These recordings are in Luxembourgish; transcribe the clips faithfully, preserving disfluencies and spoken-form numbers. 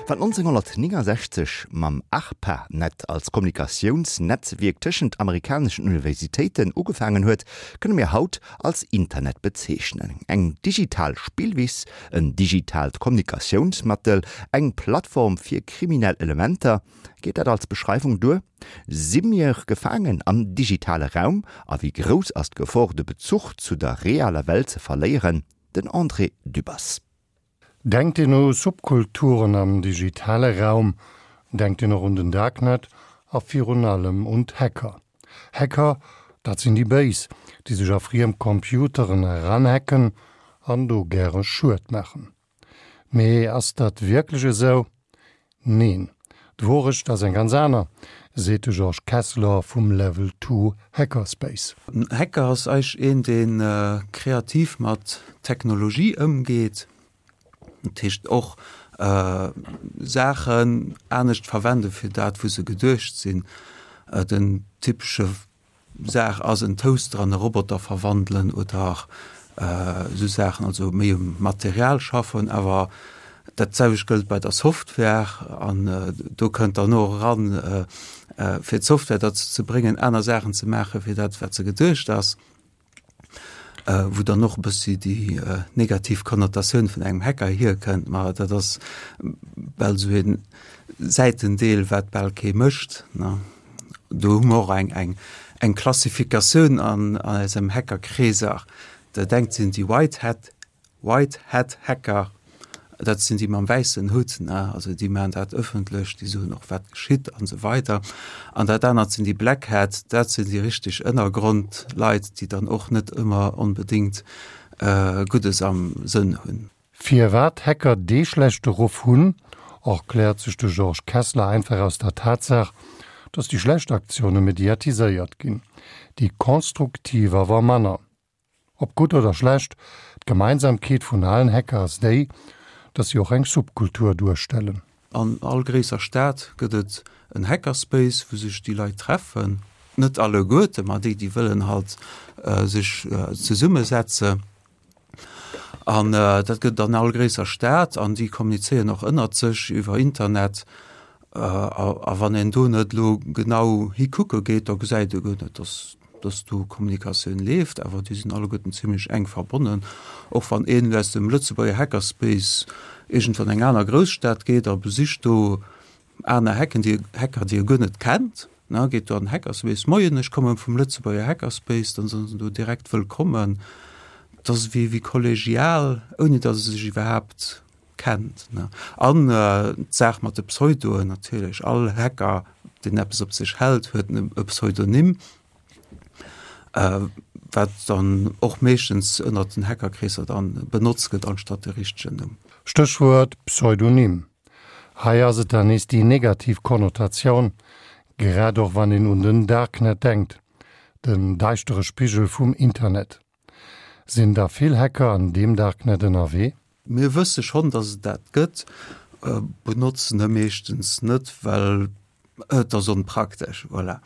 Wat nonzénghonnertnéngensechzeg mam ARPANET als Kommunikatiounsnetzwierk tëschent amerikaneschen Universitéiten ugefaangen huet, kënne mir haut als Internet bezeechnen. Eng digital Spillwiss, en digitaalt Kommunikatiounsmëttel, eng Plattform fir kriminell Elementer, geet dat als Beschreiwung duer? Si mir gefaangen am digitale Raum a wéi grouss ass d'Gefor, de Bezuch zu der realer Welt ze verléieren? Den André Dübbers. Denkt een u Subkulturen am digitale Raum, denkt een och un den Darknet a virun allem un d'Hacker. Hacker, dat sinn déi Béis, déi sech a friem Computeren eranhacken an do gäre Schued maachen. Mee ass dat wierklech esou? Neen, d'Wourecht ass eng ganz aner, seet de Georges Kessler vum Level Two Hackerspace. En Hacker ass eigentlech een, dee kreativ mat Technologie ëmgeet. Dat heescht och Saachen anescht verwende fir dat wou se geduecht sinn. Den typesche Saach ass en Toaster an e Roboter verwandelen oder esou Saachen, also méi um Material schaffen. Awer dat selwecht gëllt bei der Software an do kënnt dann och eran, fir d'Software derzou ze bréngen aner Saachen ze maache wéi dat wat se geduecht ass. Wou dann och e bëssi déi negativ Konnotatioun vun engem Hacker hierkënnt, ma dat ass bal esou e Säitendeel, wat bal kee mécht. Do hu mer och eng, eng, eng Klassifikatioun an eisem Hackerkreeser. Dat engt sinn déi White Hat, White Hat Hacker, Dat sinn déi mam wäissen Hutt, ne, also déi maachen dat ëffentlech, déi soen och wat geschitt an esou weider. An dat anert sinn déi Black Hat, dat sinn déi richteg Ënnergrondleit, déi dann och net ëmmer onbedéngt Guddes am Sënn hunn. Firwat Hacker dee schlechte Ruff hunn, erkläert sech de Georges Kessler einfach aus der Tatsaach, datt déi schlecht Aktioune mediatiséiert ginn, déi konstruktiv awer manner. Ob gutt oder schlecht, d'Gemeinsamkeet vun allen Hacker ass déi, dass si och eng Subkultur duerstellen. An all gréisser Stad gëtt et en Hackerspace, wou sech déi Leit treffen. Net alleguerte, ma déi, déi wëllen halt sech zesummesetzen. An dat gëtt et an all gréisser Stad an déi kommunizéieren och ënnert sech iwwer Internet. A wann een do net elo genau hikucke geet, da gesäit ee guer net, dass dass do Kommunikatioun leeft. Awer déi sinn alleguerten zimlech enk verbonnen. Och wann een elo aus dem Lëtzebuerger Hackerspace iergendwann eng aner Grousstad geet a besicht do aner Hacken, déi Hacker, déi e guer net kennt, ne, geet do an den Hackerspace, Moien, ech komme vum Lëtzebuerger Hackerspace, dann si se do direkt wëllkommen. Dat ass wéi wéi kollegial, ouni datt e sech iwwerhaapt kennt. An d'Saach mat de Pseudoen natierlech, all Hacker, deen eppes op sech hält, huet e Pseudonym, wat dann och meeschtens ënnert den Hackerkreesser dann benotzt gëtt anstatt de richtegen Numm. Stéchwuert Pseudonym. Hei ass et dann nees déi negativ Konnotatioun, grad och wann een un den Darknet denkt, den däischtere Spigel vum Internet. Sinn da vill Hacker an deem Darknet ënnerwee? Mir wësse schonn, datt et dat gëtt, benotzen e meeschtens net, well et ass onpraktesch. Voilà.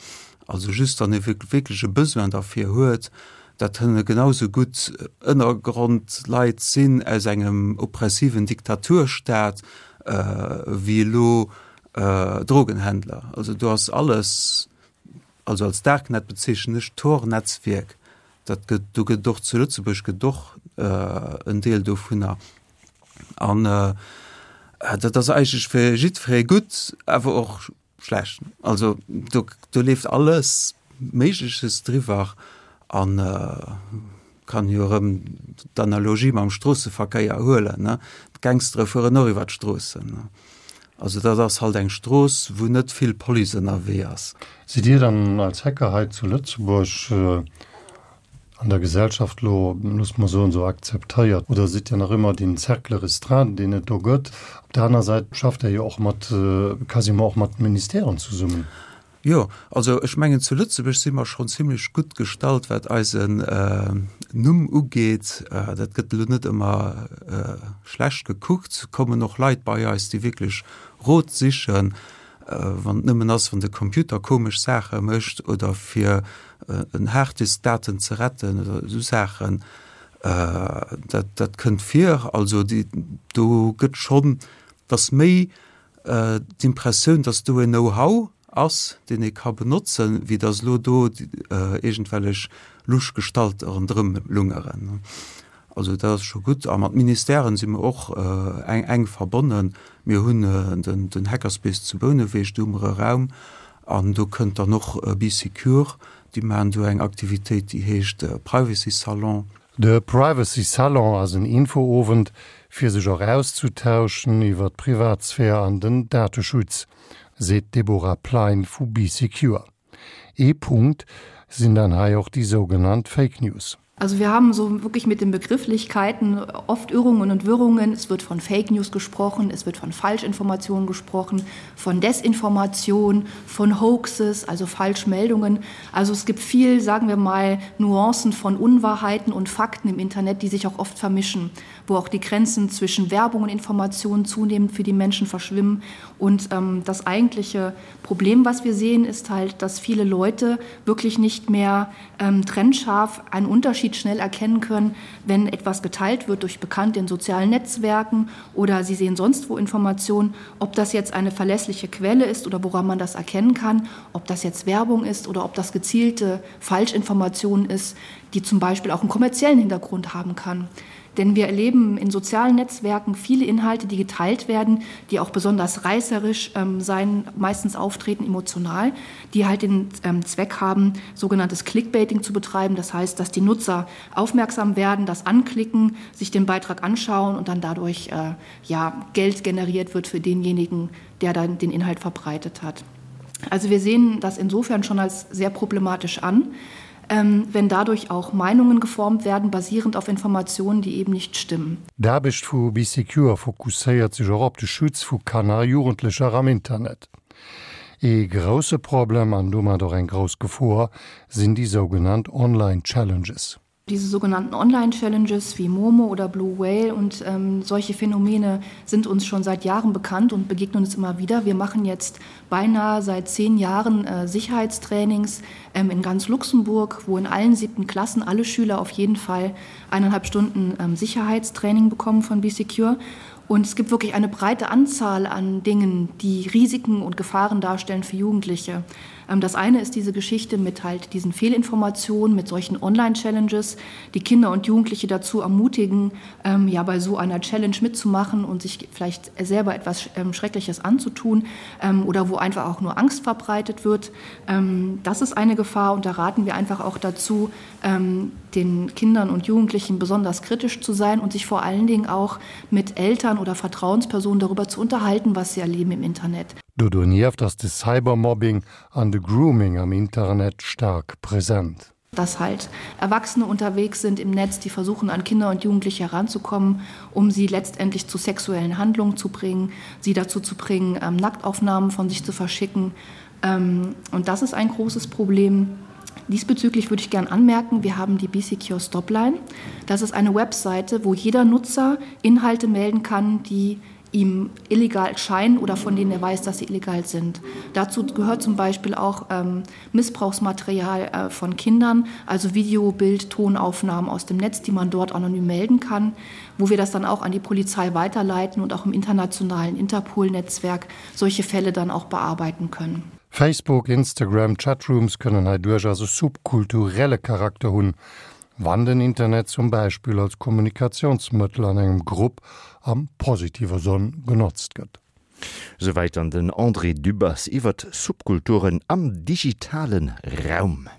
Also just wann ee wierklech e Besoin derfir huet. Dat kënne genau sou gutt Ënnergrondleit sinn aus engem oppressiven Diktaturstaat wéi elo Drogenhändler. Also do ass alles, also als Darknet bezeechnen ech d'Tor-Netzwierk. Dat gëtt, do gëtt et och zu Lëtzebuerg gëtt et och en Deel dovunner. An dat ass eigentlech fir jiddweree gutt, awer och schlecht. Also do, do leeft alles Méigleches driwwer an kann jo erëm d'Analogie mam Stroosseverkéier huelen, ne. D'Gangstere fueren och iwwer d'Stroossen, ne. Also dat ass halt eng Strooss, wou net vill Police ënnerwee ass. Sidd Dir dann als Hacker hei zu Lëtzebuerg an der Gesellschaft elo, loosse mer soen, esou akzeptéiert oder sidd Dir nach ëmmer deen Cercle restreint, deen et do gëtt? Op der aner Säit schafft Der jo och mat, quasiment och mat Ministèren zesummen. Jo, also ech mengen zu Lëtzebuerg si mer schonn zimlech gutt gestallt, wat eisen Numm ugeet. Dat gëtt elo net ëmmer schlecht gekuckt. Et kommen och Leit bei eis, déi wierklech Rot sichen, wann et nëmmen ass, wann de Computer komesch Saache mécht oder fir en Harddisk Daten ze retten oder esou Saachen. Dat, dat kënnt vir. Also déi, do gëtt schonn, et ass méi d'Impressioun, dass do en Know-how ass, deen ee ka benotzen, wéi dass elo do iergendwellech lusch Gestalte ronderëm lungeren. Also dat ass scho gutt. A mat Ministèren si mer och enk verbonnen. Mir hunn den Hackerspace zu Bouneweg, do hu mer e Raum an do kënnt dann och Bee Secure, déi maachen do eng Aktivitéit, déi heescht Privacy Salon. De Privacy Salon ass en Infoowend, fir sech och auszetauschen iwwer d'Privatsphär an den Dateschutz, seet d'Deborah Plein vu Bee Secure. Ee Punkt sinn dann hei och déi sougenannt Fake News. Also wir haben so wirklich mit den Begrifflichkeiten oft Irrungen und Wirrungen. Es wird von Fake News gesprochen, es wird von Falschinformationen gesprochen, von Desinformation, von Hoaxes, also Falschmeldungen. Also es gibt viel, sagen wir mal, Nuancen von Unwahrheiten und Fakten im Internet, die sich auch oft vermischen, wo auch die Grenzen zwischen Werbung und Informationen zunehmend für die Menschen verschwimmen. Und ähm, das eigentliche Problem, was wir sehen, ist halt, dass viele Leute wirklich nicht mehr ähm, trennscharf einen Unterschied schnell erkennen können, wenn etwas geteilt wird durch Bekannte in sozialen Netzwerken oder sie sehen sonst wo Informationen, ob das jetzt eine verlässliche Quelle ist oder woran man das erkennen kann, ob das jetzt Werbung ist oder ob das gezielte Falschinformation ist, die zum Beispiel auch einen kommerziellen Hintergrund haben kann. Denn wir erleben in sozialen Netzwerken viele Inhalte, die geteilt werden, die auch besonders reißerisch ähm, sein, meistens auftreten emotional, die halt den ähm, Zweck haben, sogenanntes Clickbaiting zu betreiben. Das heißt, dass die Nutzer aufmerksam werden, das anklicken, sich den Beitrag anschauen und dann dadurch äh, ja, Geld generiert wird für denjenigen, der dann den Inhalt verbreitet hat. Also wir sehen das insofern schon als sehr problematisch an ähm, wenn dadurch auch Meinungen geformt werden, basierend auf Informationen, die eben nicht stimmen. D'Aarbecht vu Bee Secure fokusséiert sech och op de Schutz vu Kanner a Jugendlecher am Internet. Ee grousse Problem an domat och eng grouss Gefor sinn déi sougenannt Online-Challenges. Diese sogenannten Online-Challenges wie Momo oder Blue Whale und ähm, solche Phänomene sind uns schon seit Jahren bekannt und begegnen uns immer wieder. Wir machen jetzt beinahe seit zehn Jahren äh, Sicherheitstrainings ähm, in ganz Luxemburg, wo in allen siebten Klassen alle Schüler auf jeden Fall eineinhalb Stunden ähm, Sicherheitstraining bekommen von BeSecure. Und es gibt wirklich eine breite Anzahl an Dingen, die Risiken und Gefahren darstellen für Jugendliche. Ähm, das eine ist diese Geschichte mit halt diesen Fehlinformationen, mit solchen Online-Challenges, die Kinder und Jugendliche dazu ermutigen, ähm, ja bei so einer Challenge mitzumachen und sich vielleicht selber etwas ähm, Schreckliches anzutun ähm, oder wo einfach auch nur Angst verbreitet wird. Ähm, das ist eine Gefahr und da raten wir einfach auch dazu, ähm, den Kindern und Jugendlichen besonders kritisch zu sein und sich vor allen Dingen auch mit Eltern oder Vertrauenspersonen darüber zu unterhalten, was sie erleben im Internet. Do donieft ass de Cybermobbing an de Grooming am Internet staark present. Dass halt Erwachsene unterwegs sind im Netz, die versuchen, an Kinder und Jugendliche heranzukommen, um sie letztendlich zu sexuellen Handlungen zu bringen, sie dazu zu bringen, ähm, Nacktaufnahmen von sich zu verschicken. Ähm, und das ist ein großes Problem. Diesbezüglich würde ich gern anmerken, wir haben die BCQ Stopline. Das ist eine Webseite, wo jeder Nutzer Inhalte melden kann, die ihm illegal scheinen oder von denen er weiß, dass sie illegal sind. Dazu gehört zum Beispiel auch ähm, Missbrauchsmaterial äh, von Kindern, also Video, Bild, Tonaufnahmen aus dem Netz, die man dort anonym melden kann, wo wir das dann auch an die Polizei weiterleiten und auch im internationalen Interpol-Netzwerk solche Fälle dann auch bearbeiten können. Facebook, Instagram, Chatrooms kënnen hei duerchaus e subkulturelle Charakter hunn, wann den Internet zum Beispill als Kommunikatiounsmëttel an engem Grupp am positive Sënn genotzt gëtt. Souwäit dann den André Dübbers iwwert Subkulturen am digitalen Raum.